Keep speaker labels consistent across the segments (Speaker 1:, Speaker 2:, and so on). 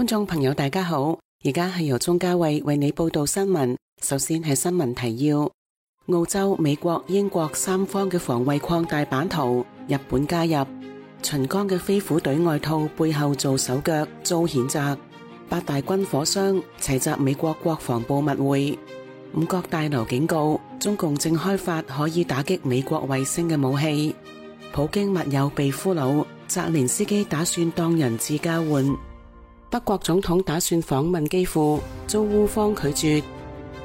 Speaker 1: 觀眾朋友大家好，而家係由鍾嘉慧為你報道新聞。首先係新聞提要：澳洲、美國、英國三方嘅防衛擴大版圖，日本加入。秦剛嘅飛虎隊外套背後做手腳，遭譴責。八大軍火商齊集美國國防部密會。五角大樓警告，中共正開發可以打擊美國衛星嘅武器。普京密友被俘虜，澤連斯基打算當人質交換。德國總統打算訪問基輔，遭烏方拒絕。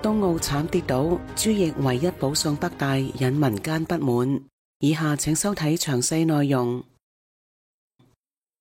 Speaker 1: 冬奧慘跌倒，朱易唯一保送北大，引民間不滿。以下請收睇詳細內容。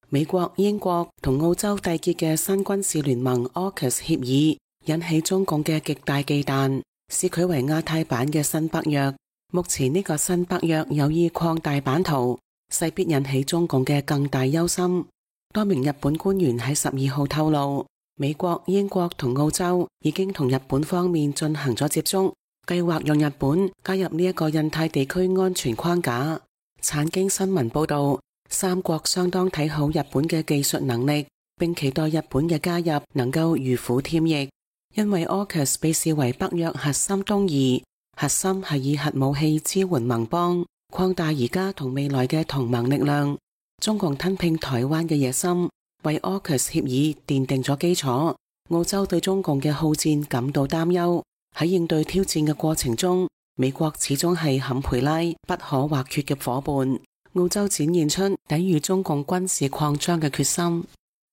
Speaker 1: 美國、英國同澳洲締結嘅新軍事聯盟 AUKUS 協議引起中共嘅極大忌憚，視佢為亞太版嘅新北約。目前呢個新北約有意擴大版圖，勢必引起中共嘅更大憂心。多名日本官員喺12號透露，美國、英國同澳洲已經同日本方面進行咗接觸，計劃讓日本加入呢一個印太地區安全框架。產經新聞報道，三國相當睇好日本嘅技術能力，並期待日本嘅加入能夠如虎添翼。因為 AUKUS 被視為北約核心東移，核心係以核武器支援盟邦，擴大而家同未來嘅同盟力量。中共吞併台灣嘅野心為 AUKUS 協議奠定咗基礎。澳洲對中共嘅好戰感到擔憂。喺應對挑戰嘅過程中，美國始終係坎培拉不可或缺嘅夥伴。澳洲展現出抵禦中共軍事擴張嘅決心。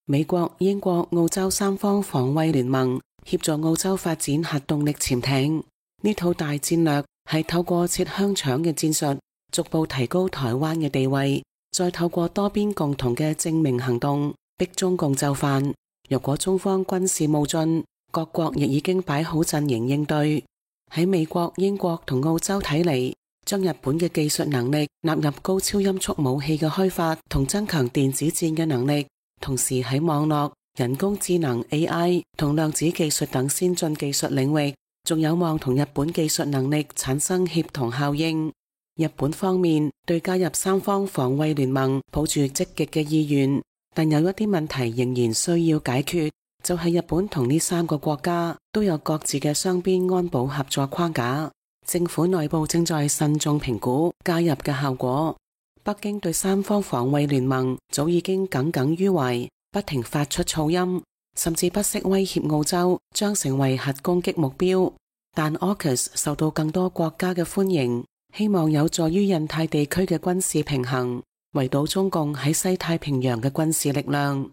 Speaker 1: 美國、英國、澳洲三方防衛聯盟協助澳洲發展核動力潛艇。呢套大戰略係透過切香腸嘅戰術，逐步提高台灣嘅地位。再透過多邊共同嘅正面行動，逼中共就範。若果中方軍事冒進，各國亦已經擺好陣營應對。喺美國、英國同澳洲睇嚟，將日本嘅技術能力納入高超音速武器嘅開發同增強電子戰嘅能力，同時喺網絡、人工智能 AI 同量子技術等先進技術領域，仲有望同日本技術能力產生協同效應。日本方面對加入三方防衛聯盟抱住積極嘅意願，但有一啲問題仍然需要解決，就係日本同呢三個國家都有各自嘅雙邊安保合作框架，政府內部正在慎重評估加入嘅效果。北京對三方防衛聯盟早已經耿耿於懷，不停發出噪音，甚至不惜威脅澳洲將成為核攻擊目標。但 AUKUS 受到更多國家嘅歡迎，希望有助於印太地區嘅軍事平衡，圍堵中共喺西太平洋嘅軍事力量。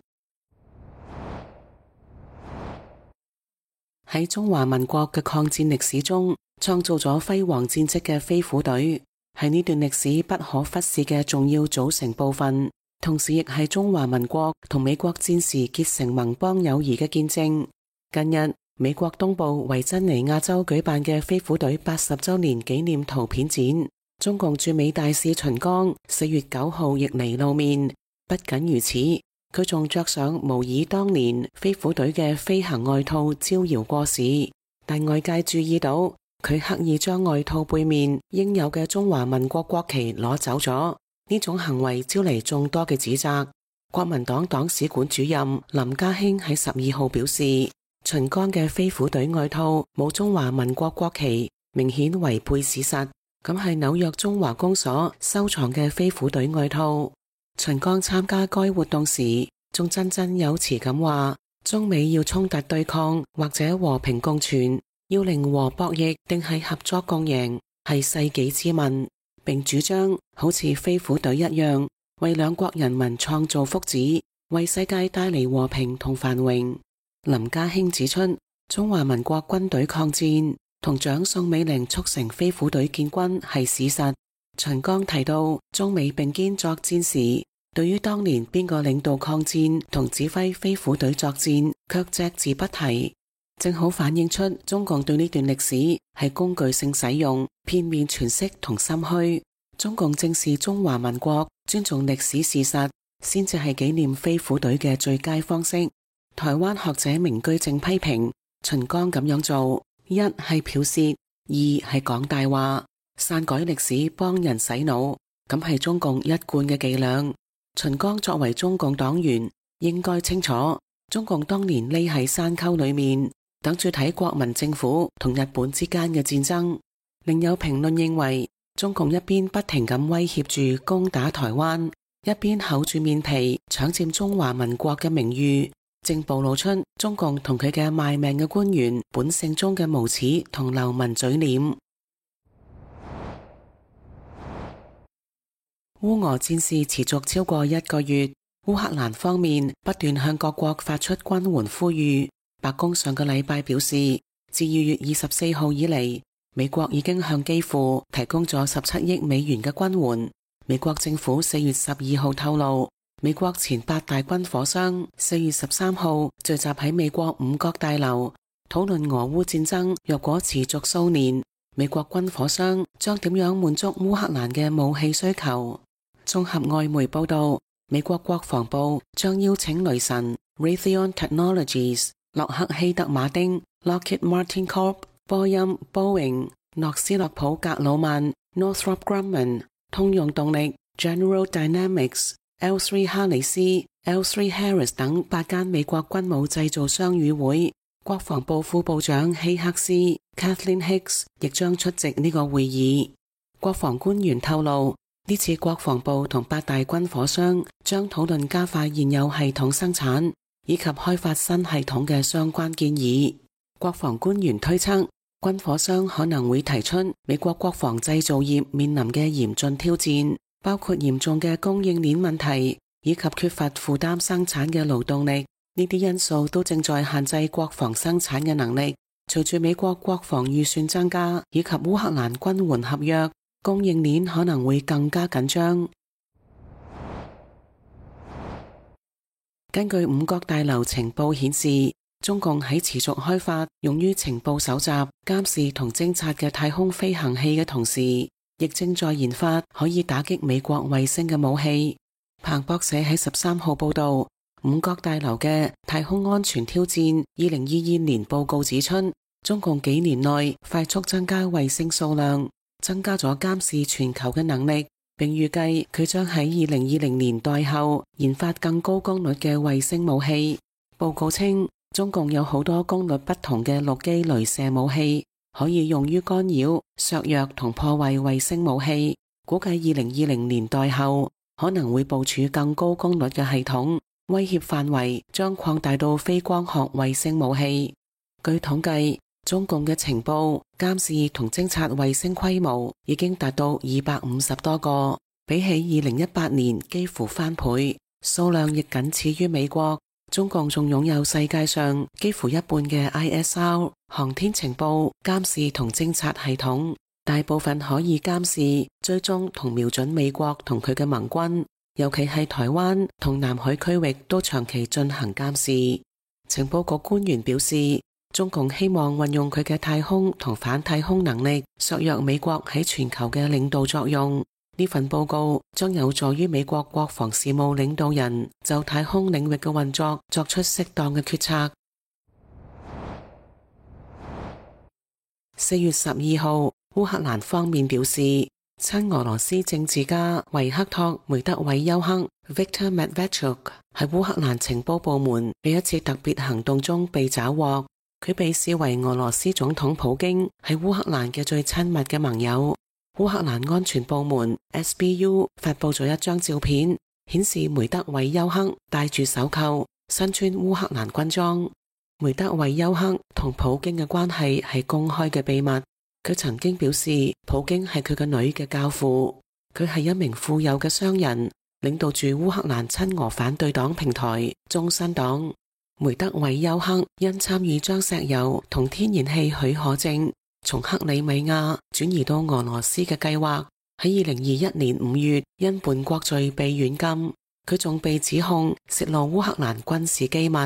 Speaker 1: 喺中華民國嘅抗戰歷史中，創造咗輝煌戰績嘅飛虎隊，係呢段歷史不可忽視嘅重要組成部分，同時亦係中華民國同美國戰時結成盟邦友誼嘅見證。近日，美國東部維珍尼亞州舉辦嘅飛虎隊80周年紀念圖片展，中共駐美大使秦剛4月9號亦嚟露面。不僅如此，佢仲着上模擬當年飛虎隊嘅飛行外套招搖過市，但外界注意到佢刻意將外套背面應有嘅中華民國國旗攞走咗，呢種行為招嚟眾多嘅指責。國民黨黨史館主任林家興喺12號表示，秦剛嘅飛虎隊外套冇中華民國國旗，明顯違背事實。咁係紐約中華公所收藏嘅飛虎隊外套。秦剛參加該活動時，仲振振有詞咁話：中美要衝突對抗或者和平共存，要零和博弈定係合作共贏，係世紀之問。並主張好似飛虎隊一樣，為兩國人民創造福祉，為世界帶嚟和平同繁榮。林家興指出，中華民國軍隊抗戰同蔣宋美齡促成飛虎隊建軍係史實。秦剛提到，中美並肩作戰時，對於當年邊個領導抗戰同指揮飛虎隊作戰，卻隻字不提，正好反映出中共對呢段歷史係工具性使用、片面詮釋同心虛。中共正視中華民國，尊重歷史事實，先至係紀念飛虎隊嘅最佳方式。台灣學者明居正批評秦剛咁樣做，一係剽竊，二係講大話，篡改歷史幫人洗腦，咁係中共一貫嘅伎倆。秦剛作為中共黨員，應該清楚中共當年匿喺山溝裏面，等住睇國民政府同日本之間嘅戰爭。另有評論認為，中共一邊不停咁威脅住攻打台灣，一邊厚住面皮搶佔中華民國嘅名譽，正暴露出中共同佢嘅賣命嘅官員本性中嘅無恥同流氓嘴臉。烏俄戰事持續超過1個月，烏克蘭方面不斷向各國發出軍援呼籲。白宮上個禮拜表示，自2月24號以嚟，美國已經向基輔提供咗17億美元嘅軍援。美國政府4月12號透露，美國前8大軍火商4月13號聚集喺美國五角大樓，討論俄烏戰爭若果持續數年，美國軍火商將點樣滿足烏克蘭嘅武器需求。綜合外媒報道，美國國防部將邀請雷神 Raytheon Technologies、洛克希德馬丁 Lockheed Martin Corp、波音 Boeing、諾斯洛普格魯曼 Northrop Grumman、通用動力 General Dynamics、L3 哈里斯 L3 Harris 等8間美國軍武製造商與會。國防部副部長希克斯 Kathleen Hicks 亦將出席呢個會議。國防官員透露，呢次國防部同8大軍火商將討論加快現有系統生產以及開發新系統嘅相關建議。國防官員推測，軍火商可能會提出美國國防製造業面臨嘅嚴峻挑戰，包括嚴重嘅供應鏈問題以及缺乏負擔生產嘅勞動力。呢啲因素都正在限制國防生產嘅能力。隨住美國國防預算增加以及烏克蘭軍援合約，供應鏈可能會更加緊張。根據五角大樓情報顯示，中共喺持續開發用於情報搜集、監視同偵察嘅太空飛行器嘅同時，亦正在研發可以打擊美國衛星嘅武器。彭博社喺13號報道，五角大樓嘅太空安全挑戰2022年報告指出，中共幾年內快速增加衛星數量，增加咗監視全球嘅能力，並預計佢將喺2020年代後研發更高功率嘅衛星武器。報告稱，中共有好多功率不同嘅陸基雷射武器，可以用於干擾、削弱同破壞衛星武器。估計2020年代後可能會部署更高功率嘅系統，威脅範圍將擴大到非光學衛星武器。據統計，中共嘅情報、監視同偵察衛星規模已經達到250多個，比起2018年幾乎翻倍，數量亦僅次於美國。中共仲擁有世界上幾乎一半嘅 ISR 航天情報、監視同偵察系統，大部分可以監視、追蹤同瞄準美國同佢嘅盟軍，尤其係台灣同南海區域都長期進行監視。情報局官員表示，中共希望運用佢嘅太空同反太空能力，削弱美國喺全球嘅領導作用。呢份報告將有助於美國國防事務領導人就太空領域嘅運作作出適當嘅決策。4月12號，烏克蘭方面表示，親俄羅斯政治家維克托·梅德韋丘克 Viktor Medvedchuk 喺烏克蘭情報部門喺一次特別行動中被抓獲。佢被視為俄羅斯總統普京喺烏克蘭嘅最親密嘅盟友。烏克蘭安全部門 SBU 發佈咗一張照片，顯示梅德韋丘克戴住手銬，身穿烏克蘭軍裝。梅德韋丘克同普京嘅關係係公開嘅秘密。佢曾經表示，普京係佢嘅女嘅教父。佢係一名富有嘅商人，領導住烏克蘭親俄反對黨平台中新黨。梅德韋丘克因參與將石油同天然氣許可證從克里米亞轉移到俄羅斯嘅計劃，喺2021年5月因叛國罪被軟禁。佢仲被指控泄露烏克蘭軍事機密。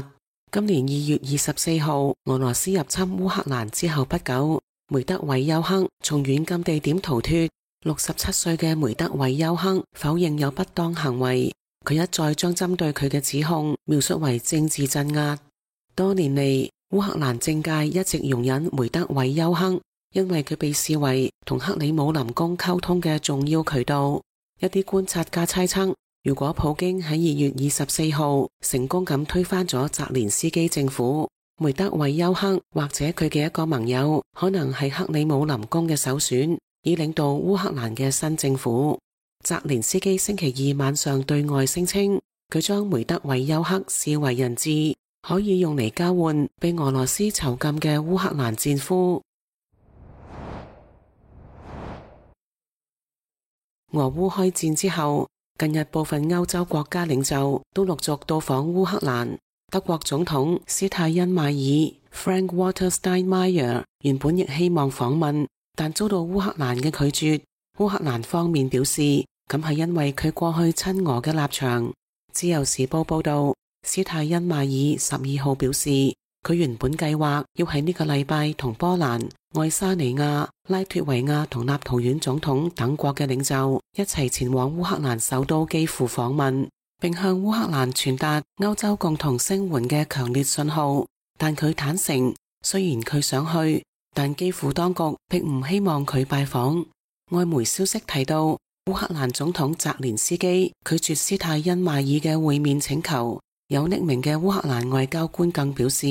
Speaker 1: 今年2月24號，俄羅斯入侵烏克蘭之後不久，梅德韋丘克從軟禁地點逃脫。67歲嘅梅德韋丘克否認有不當行為。佢一再將針對佢嘅指控描述為政治鎮壓。多年嚟，烏克蘭政界一直容忍梅德韋丘克，因為佢被視為同克里姆林宮溝通嘅重要渠道。一啲觀察家猜測，如果普京喺2月24號成功咁推翻咗澤連斯基政府，梅德韋丘克或者佢嘅一個盟友可能係克里姆林宮嘅首選，以領導烏克蘭嘅新政府。澤連斯基星期二晚上對外聲稱，佢將梅德韋丘克視為人質，可以用嚟交換被俄羅斯囚禁嘅烏克蘭戰俘。俄烏開戰之後，近日部分歐洲國家領袖都陸續到訪烏克蘭。德國總統施泰因邁爾 （Frank-Walter Steinmeier） 原本亦希望訪問，但遭到烏克蘭嘅拒絕。烏克蘭方面表示，咁係因為佢過去親俄嘅立場。自由時報報道，施泰因邁爾12號表示，佢原本計劃要喺呢個禮拜同波蘭、愛沙尼亞、拉脫維亞同立陶宛總統等國嘅領袖一齊前往烏克蘭首都基輔訪問，並向烏克蘭傳達歐洲共同聲援嘅強烈信號。但佢坦承，雖然佢想去，但基輔當局並唔希望佢拜訪。外媒消息提到，烏克蘭總統澤連斯基拒絕施泰因邁爾嘅會面請求。有匿名嘅烏克蘭外交官更表示，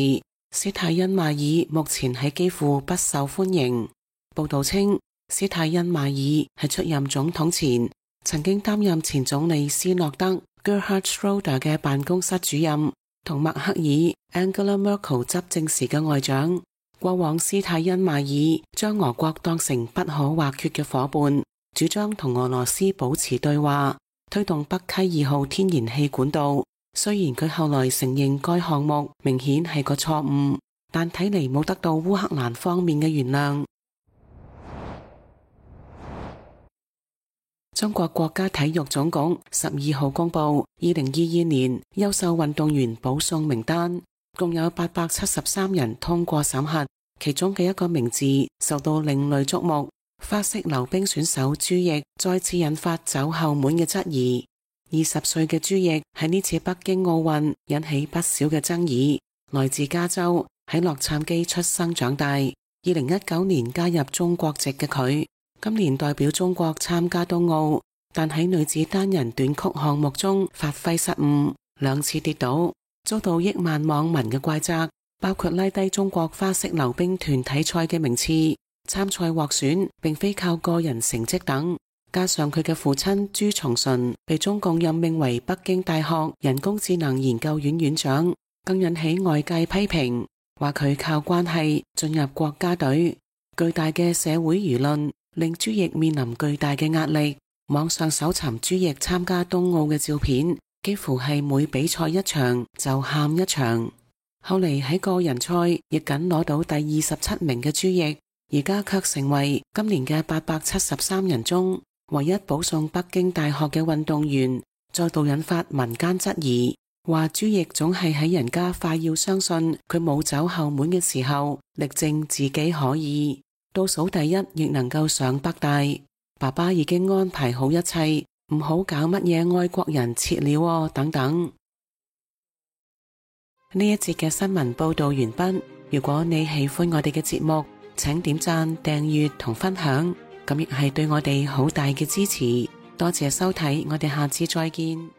Speaker 1: 施泰因邁爾目前喺基輔不受歡迎。報道稱，施泰因邁爾喺出任總統前，曾經擔任前總理斯諾德 Gerhard Schroeder 嘅辦公室主任，同默克爾 Angela Merkel 執政時嘅外長。過往施泰因邁爾將俄國當成不可或缺嘅夥伴，主張同俄羅斯保持對話，推動北溪2號天然氣管道。雖然佢後來承認該項目明顯係個錯誤，但睇嚟冇得到烏克蘭方面嘅原諒。中國國家體育總局12號公布2022年優秀運動員保送名單，共有873人通過審核，其中嘅一個名字受到另類矚目。花式溜冰選手朱易再次引發走後門嘅質疑。20歲嘅朱易喺呢次北京奧運引起不少嘅爭議。來自加州，喺洛杉磯出生長大。2019年加入中國籍嘅佢，今年代表中國參加冬奧，但喺女子單人短曲項目中發揮失誤，2次跌倒，遭到億萬網民嘅怪責，包括拉低中國花式溜冰團體賽嘅名次，參賽獲選並非靠個人成績等。加上佢嘅父親朱松純被中共任命為北京大學人工智能研究院院長，更引起外界批評，話佢靠關係進入國家隊。巨大嘅社會輿論令朱易面臨巨大嘅壓力。網上搜尋朱易參加冬奧嘅照片，幾乎係每比賽一場就喊一場。後嚟喺個人賽亦僅攞到第27名嘅朱易，而家卻成為今年嘅873人中唯一保送北京大學嘅運動員，再度引發民間質疑，話朱易總係喺人家快要相信佢冇走後門嘅時候，力證自己可以倒數第一，亦能夠上北大。爸爸已經安排好一切，唔好搞乜嘢愛國人撤了哦，等等。呢一節嘅新聞報道完畢。如果你喜歡我哋嘅節目，請點讚、訂閱同分享，咁亦係對我哋好大嘅支持。多謝收睇，我哋下次再見。